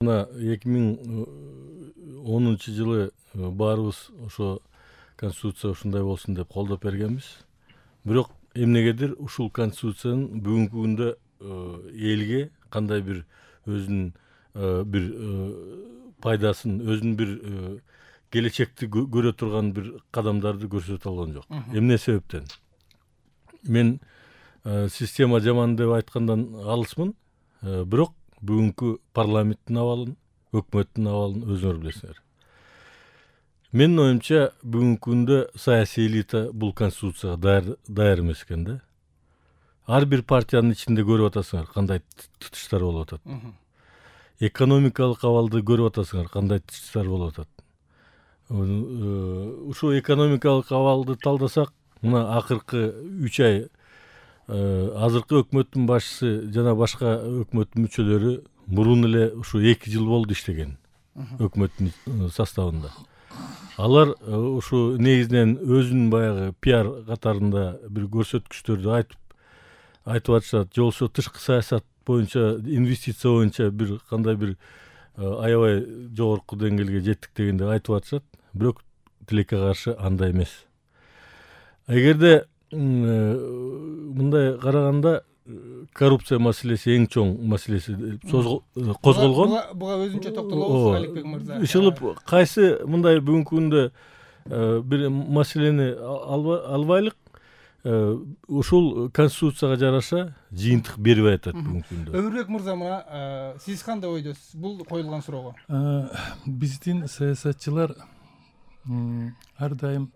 мына 2010-жылы баарыбыз ошо конституция ушундай болсун деп колдоп бергенбиз. Бирок эмнегедир ушул конституциянын бүгүнкү күндө элге кандай бир өзүнүн бир пайдасын, өзүнүн бир келечекти көрө турган бир кадамдарды көрсөтө алган жок. Эмне себептен? Мен система жаман деп айткандан алысмын, бирок бүгүнкү парламенттин абалын, өкмөттүн абалын өзүңөр билесиңер. Менин оюмча бүгүнкү күндө саясий элита бул конституцияга даяр эмес экен да. Ар бир партиянын ичинде көрүп атасыңар кандай тытыштар болуп атат. Экономикалык абалды көрүп атасыңар кандай тытыштар болуп атат. Ушул экономикалык абалды талдасак, мына акыркы 3 ай азыркы өкмөттүн башчысы жана башка өкмөттүн мүчөлөрү мурун эле ушу 2 жыл болду иштеген өкмөттүн составында. Алар ушу негизинен өзүнүн баягы пиар катарында бир көрсөткүчтөрдү айтып атышат, же болбосо тышкы саясат боюнча, инвестиция боюнча бир кандай бир аябай жогорку деңгээлге жеттик дегенде айтып атышат, бирок тилекке каршы андай эмес. Эгерде мындай караганда коррупция маселеси эң чоң маселеси козголгон. Буга өзүнчө токтолобуз Аликбек мырза. Ишылып кайсы мындай бүгүнкү күндө бир маселени албайлык, ушул конституцияга жараша жыйынтык бербей атат бүгүнкү күндө. Өмүрбек мырза, мына сиз кандай ойдосуз бул коюлган суроого? Биздин саясатчылар ар дайым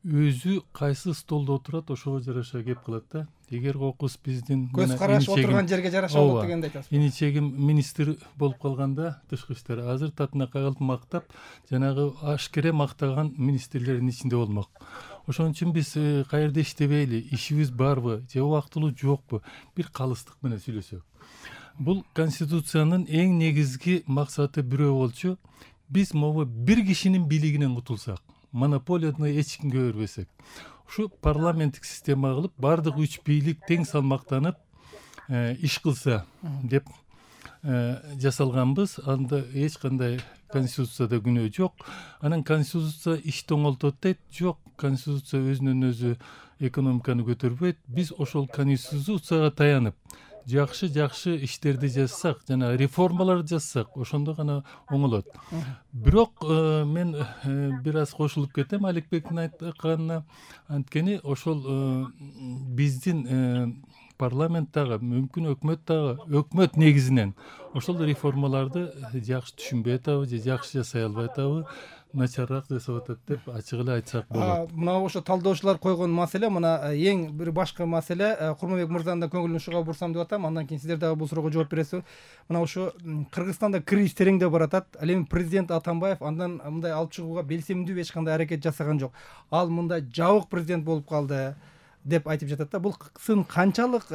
өзү кайсы столдо отурат ошого жараша кеп кылат да. Эгер кокус биздин көз караш отурган жерге жараша болот дегенди айтасыз. Иничегим министр болуп калганда тышкы иштер азыр татына кагылып мактап, жанагы ашкере мактаган министрлердин ичинде болмок. Ошон үчүн биз каерде иштебейли, ишибиз барбы, же убактылуу жокпу, бир калыстык менен сүйлөсөк. Бул конституциянын эң негизги максаты бирөө болчу. Биз могу бир кишинин бийлигинен кутулсак, монополияны эч кимге бербесек, ушу парламенттик система кылып, бардык 3 бийлик тең салмактанып иш кылса деп жасалганбыз. Анда эч кандай конституцияда күнөө жок. Анан конституция ишти оңолтот дейт. Жок, конституция өзүнөн өзү экономиканы көтөрбөйт. Биз ошол конституцияга таянып жакшы иштерди жазсак, жана реформаларды жазсак, ошондо гана оңолот. Бирок мен бир аз кошулуп кетем Аликбектин айтканына. Анткени ошол биздин парламенттагы, мүмкүн өкмөт негизинен ошол реформаларды жакшы түшүнбөй атабы, же жакшы жасай албай атабы, начарраак жасап атат деп ачык эле айтсак болот. Мына ошо талдоочулар койгон маселе, мына эң бир башка маселе, Курманбек мырзанын да көңүлүн ушуга бурсам деп атам, андан кийин сиздер дагы бул суроого жооп бересиз. Мына ошо Кыргызстанда кризис тереңдеп баратат. Ал эми президент Атамбаев андан мындай алып чыгууга белсемдүү эч кандай аракет жасаган жок. Ал мындай жабык президент болуп калды деп айтып жатат да. Бул сын канчалык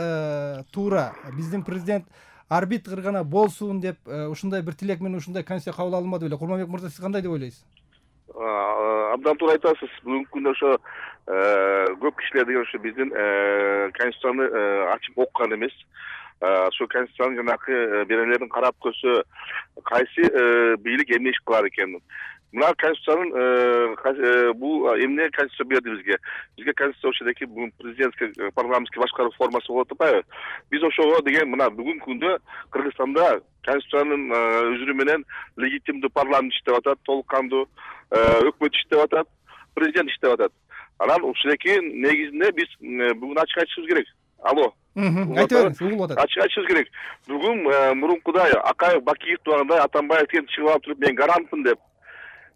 туура? Биздин президент арбитр гана болсун деп ушундай бир тилек менен ушундай конституция кабыл алынбады беле. Курманбек мырза, сиз кандай деп ойлойсуз? Абдан туура айтасыз. Бүгүнкү күндө ошо көп кишилер деген ошо биздин конституцияны ачып окуган эмес. Ошо конституциянын жанакы берелерин карап көрсө, кайсы бийлик эмне иш кылар экен. Мына конституциянын бул эмне конституция берди бизге? Бизге конституция ошодеки бүгүн президентский парламенттик башкаруу формасы болуп атпайбы? Биз ошого деген мына бүгүнкү күндө Кыргызстанда конституциянын өзүрү менен легитимдүү парламент иштеп атат, толук кандуу өкмөт иштеп атат, президент иштеп атат. Анан ушундайки негизинде биз бүгүн ачык айтышыбыз керек. Алло. Айтып бериңиз, угулуп атат. Ачык айтышыбыз керек. Бүгүн мурункудай Акаев, Бакиев тургандай Атамбаев деген чыгып алып туруп, мен гарантмын деп,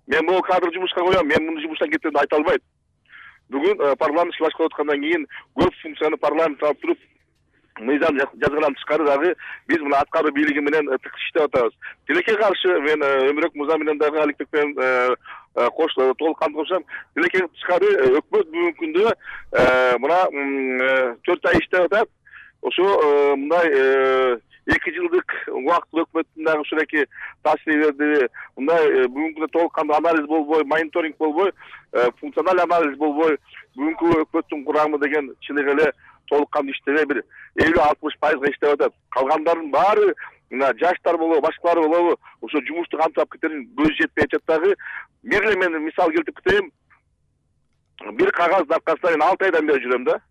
мен могу кадр жумушка коем, мен муну жумуштан кетем деп айта албайт. Бүгүн парламент башкарып аткандан кийин көп функцияны парламент алып туруп, мыйзам жазгандан тышкары дагы биз мына аткаруу бийлиги менен тык иштеп атабыз. Тилекке каршы мен Өмүрбек мырза менен дагы Аликбек менен толук кантышам. Тилекке тышкары өкмөт бүгүнкү күндө мына 4 ай иштеп атат. Ошо мындай 2 жылдык убактылуу өкмөттүн дагы ушундайки таасири мындай бүгүнкү күндө толук кандуу анализ болбой, мониторинг болбой, функциональ анализ болбой, бүгүнкү өкмөттүн курамы деген чыныгы эле толук кандуу иштебей бир 50-60% иштеп атат. Калгандардын баары мына жаштар болобу, башкалар болобу, ошо жумушту кантип алып кетерин көзү жетпей атат дагы. Мен мисал келтирип кетейин. Бир кагаздын аркасында мен 6 айдан бери жүрөм да.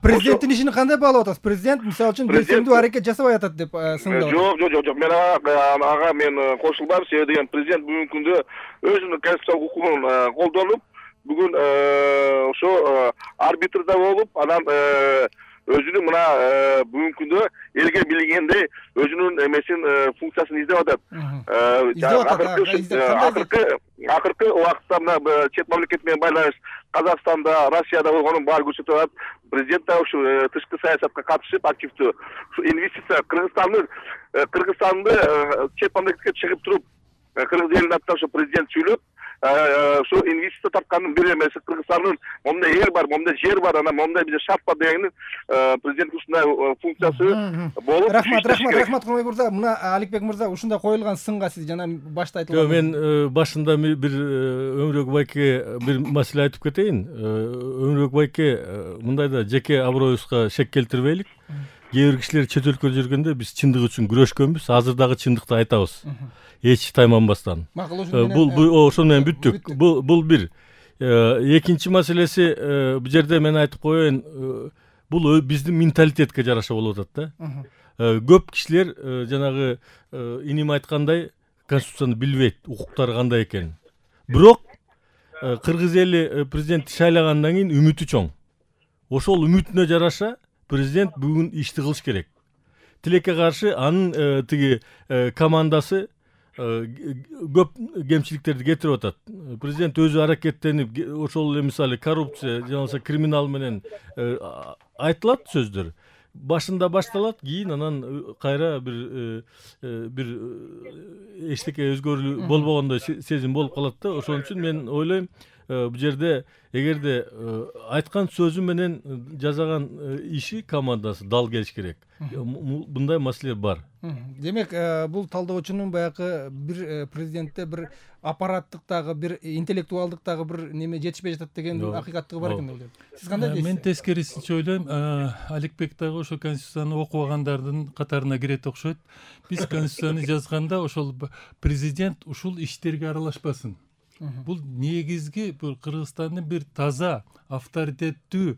Президенттин ишин кандай баалап атасыз? Президент мисалы үчүн белсендүү аракет жасабай атат деп сындап атат. Жок. Мен ага мен кошулбайм. Себеби деген президент бүгүнкү күндө өзүнүн конституциялык укугун колдонуп, бүгүн ошо арбитрда болуп, анан өзүнүн мына бүгүнкү күндө элге билгендей өзүнүн эмесин функциясын издеп атат. Акыркы убакытта мына чет мамлекет менен байланыш Казакстанда, Россияда болгонун баары көрсөтүп атат. Президент да ушу тышкы саясатка катышып активдүү. Ушу инвестиция Кыргызстанды чет мамлекетке чыгып туруп, Кыргыз элинин атынан ушу президент сүйлөп, ушу инвестиция тарткандын бир эмеси Кыргызстандын момундай эл бар, момундай жер бар, анан момундай бизде шарт бар дегенин президенттин ушундай функциясы болуп. Рахмат Курманбек мырза. Мына Аликбек мырза, ушундай коюлган сынга сиз жана башта айтылган. Мен башында бир Өмүрбек байке бир маселе айтып кетейин. Өмүрбек байке мындайда жеке аброюбузга шек келтирбейлик. Кээ бир кишилер чет өлкөдө жүргөндө биз чындык үчүн күрөшкөнбүз. Азыр дагы чындыкты айтабыз. Эч тайманбастан. Бул ошону менен бүттүк. Бул бир. Экинчи маселеси, бул жерде мен айтып коеюн, бул биздин менталитетке жараша болуп атат да. Көп кишилер жанагы иним айткандай конституцияны билбейт, укуктары кандай экенин. Бирок кыргыз эли президентти шайлагандан кийин үмүтү чоң. Ошол үмүтүнө жараша президент бүгүн ишти кылыш керек. Тилекке каршы анын тиги командасы көп кемчиликтерди кетирип атат. Президент өзү аракеттенип, ошол эле мисалы коррупция, же болбосо криминал менен айтылат сөздөр. Башында башталат, кийин анан кайра бир эчтеке өзгөрүү болбогондой сезим болуп калат да. Ошон үчүн мен ойлойм, бул жерде эгерде айткан сөзү менен жасаган иши командасы дал келиш керек. Мындай маселе бар. Демек, бул талдоочунун баягы бир президентте бир аппараттыктагы, бир интеллектуалдыктагы бир неме жетишпей жатат деген акыйкаттыгы бар экен деп. Сиз кандай дейсиз? Мен тескерисинче ойлойм, Аликбек дагы ошо конституцияны окубагандардын катарына кирет окшойт. Биз конституцияны жазганда ошол президент ушул иштерге аралашпасын. Бул негизги Кыргызстандын бир таза, авторитеттүү,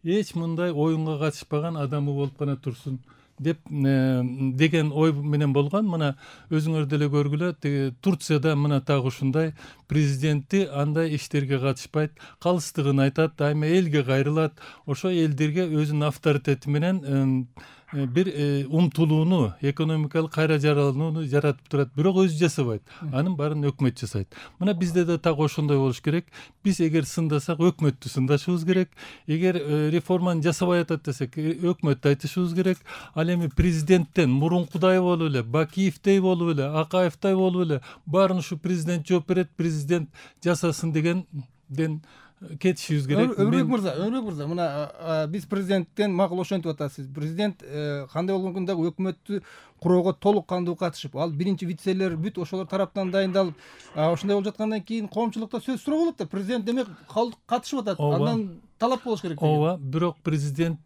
эч мындай оюнга катышпаган адамы болуп гана турсун деп деген ой менен болгон. Мына өзүңөр деле көргүлө, Турцияда мына так ушундай президенти андай иштерге катышпайт, калыстыгын айтат, дайыма элге кайрылат, ошо элдерге өзүнүн авторитети менен бир умтулууну, экономикалык кайра жаралууну жаратып турат, бирок өзү жасабайт. Анын баарын өкмөт жасайт. Мына бизде да так ошондой болуш керек. Биз эгер сындасак, өкмөттү сындашыбыз керек. Эгер реформаны жасабай атат десек, өкмөттү айтышыбыз керек. Ал эми президенттен мурункудай болуп эле, Бакиевдей болуп эле, Акаевдей болуп эле баарын ушу президент жооп берет, президент жасасын дегенден кетишибиз керек. Өмүрбек мырза, мына биз президенттен макул ошентип атасыз. Президент кандай болгон дагы өкмөттү курууга толук кандуу катышып, ал биринчи вицелер бүт ошолор тараптан дайындалып, ошондой болуп жаткандан кийин коомчулукта сөз суроо болот да. Президент демек катышып атат. Андан талап болуш керек. Ооба, бирок президент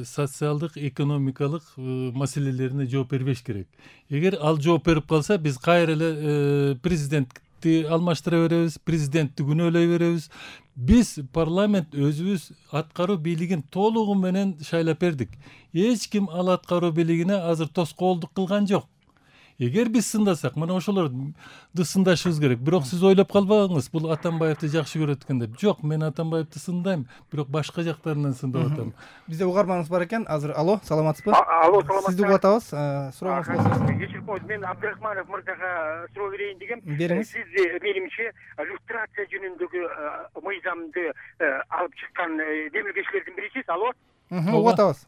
социалдык, экономикалык маселелерине жооп бербеш керек. Эгер ал жооп берип калса, биз кайра эле президентти алмаштыра беребиз, президентти күнөөлөй беребиз. Биз парламент өзүбүз аткаруу бийлигин толугу менен шайлап бердик. Эч ким ал аткаруу бийлигине азыр тоскоолдук кылган жок. Эгер биз сындасак, мына ошолорду сындашыбыз керек. Бирок сиз ойлоп калбагыңыз, бул Атамбаевди жакшы көрөт экен деп. Жок, мен Атамбаевди сындайм, бирок башка жактарынан сындап атам. Бизде угарманыбыз бар экен. Азыр алло, саламатсызбы? Алло, саламатсызбы? Сизди угуп атабыз. Сурооңуз болсо. Кечирип коюңуз, мен Абдрахманов мырзага суроо берейин дегем. Бериңиз. Сиз менимче люстрация жөнүндөгү мыйзамды алып чыккан демилгечилердин бирисиз. Алло. Угуп атабыз.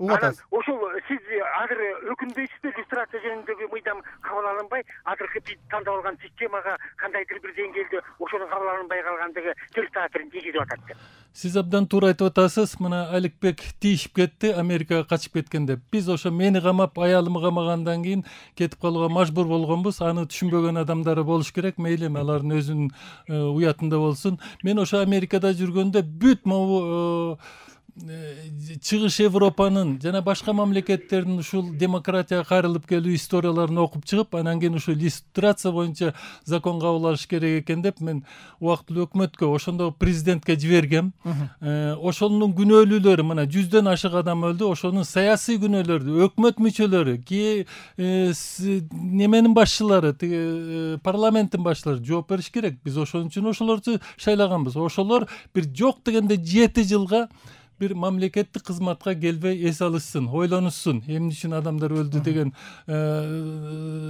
Ошол сиз азыр өкүнбөйсүзбү, люстрация жөнүндөгү мыйзам кабыл алынбай, азыркы биз тандап алган системага кандайдыр бир деңгээлде ошонун кабыл алынбай калгандыгы терс таасирин тийгизип атат деп. Сиз абдан туура айтып атасыз. Мына Аликбек тийишип кетти, Америкага качып кеткен деп. Биз ошо мени камап, аялымы камагандан кийин кетип калууга мажбур болгонбуз. Аны түшүнбөгөн адамдары болуш керек. Мейли, алардын өзүнүн уятында болсун. Мен ошо Америкада жүргөндө бүт могу чыгыш Европанын жана башка мамлекеттердин ушул демократияга кайрылып келүү историяларын окуп чыгып, анан кийин ушул иллюстрация боюнча закон кабыл алыш керек экен деп мен убактылуу өкмөткө, ошондогу президентке жибергем. Ошонун күнөөлүүлөрү, мына 100дөн ашык адам өлдү, ошонун саясий күнөөлөрү, өкмөт мүчөлөрү, неменин башчылары, парламенттин башчылары жооп бериш керек. Биз ошон үчүн ошолорду шайлаганбыз. Ошолор бир жок дегенде 7 жылга бир мамлекеттик кызматка келбей эс алышсын, ойлонушсын, эмне үчүн адамдар өлдү деген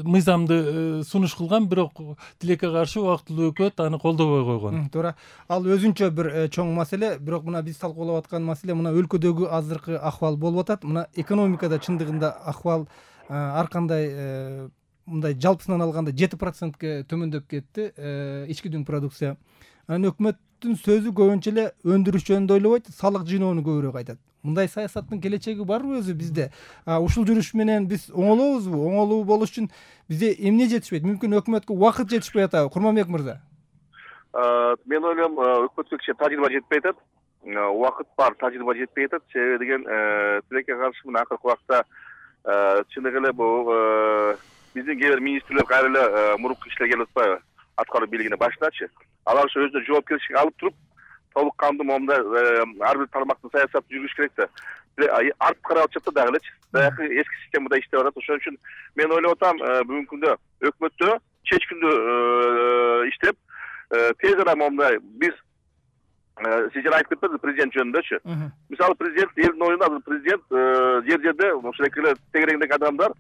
мыйзамды сунуш кылган, бирок тилекке каршы убактылуу өкмөт аны колдобой койгон. Туура. Ал өзүнчө бир чоң маселе, бирок мына биз талкуулап аткан маселе мына өлкөдөгү азыркы акыбал болуп атат. Мына экономикада чындыгында акыбал ар кандай мындай жалпысынан алганда 7%ке төмөндөп кетти ички дүң продукция. Анан өкмөттүн сөзү көбүнчө эле өндүрүш жөнүндө ойлобойт, салык жыйноону көбүрөөк айтат. Мындай саясаттын келечеги барбы өзү бизде? Ушул жүрүш менен биз оңолобузбу? Оңолуу болуш үчүн бизде эмне жетишпейт? Мүмкүн өкмөткө убакыт жетишпей атабы, Курманбек мырза? Мен ойлойм, өкмөткө кичине тажрыйба жетпей атат. Убакыт бар, тажрыйба жетпей атат. Себеби деген тилекке каршы мына акыркы убакта чындыгы эле бул биздин кээ бир министрлер кайра эле мурунку кишилер келип атпайбы? Аткаруу бийлигине башындачы. Алар ошо өзүнө жоопкерчилик алып туруп, толук кандуу момундай ар бир тармактын саясатын жүргүзүш керек да. Артып карап атышат да дагы элечи. Баягы эски системада иштеп атат. Ошон үчүн мен ойлоп атам, бүгүнкү күндө өкмөттө чечкиндүү иштеп, тез арада момундай биз сиз жана айтып кетпедиңизби президент жөнүндөчү. Мисалы президент элдин оюнда азыр президент жер-жерде ошондой эле тегереңдеги адамдар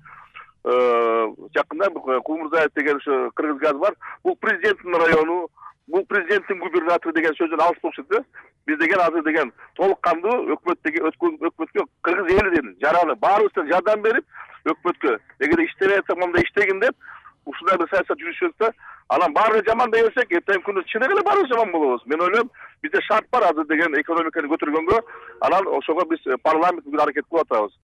жакында Кулмурзаев деген ошо кыргыз газ бар. Бул президенттин району, бул президенттин губернатору деген сөздөн алыс болуп кетти. Биз деген азыр деген толук кандуу өкмөткө кыргыз эли деген жараны баарыбыздан жардам берип, өкмөткө эгерде иштебей атса мондай иштегин деп ушундай бир саясат жүргүзсөк, анан баары жаман дей берсек, эртең күнү чыныгы эле баарыбыз жаман болобуз. Мен ойлойм, бизде шарт бар азыр деген экономиканы көтөргөнгө, анан ошого биз парламент аракет кылып атабыз.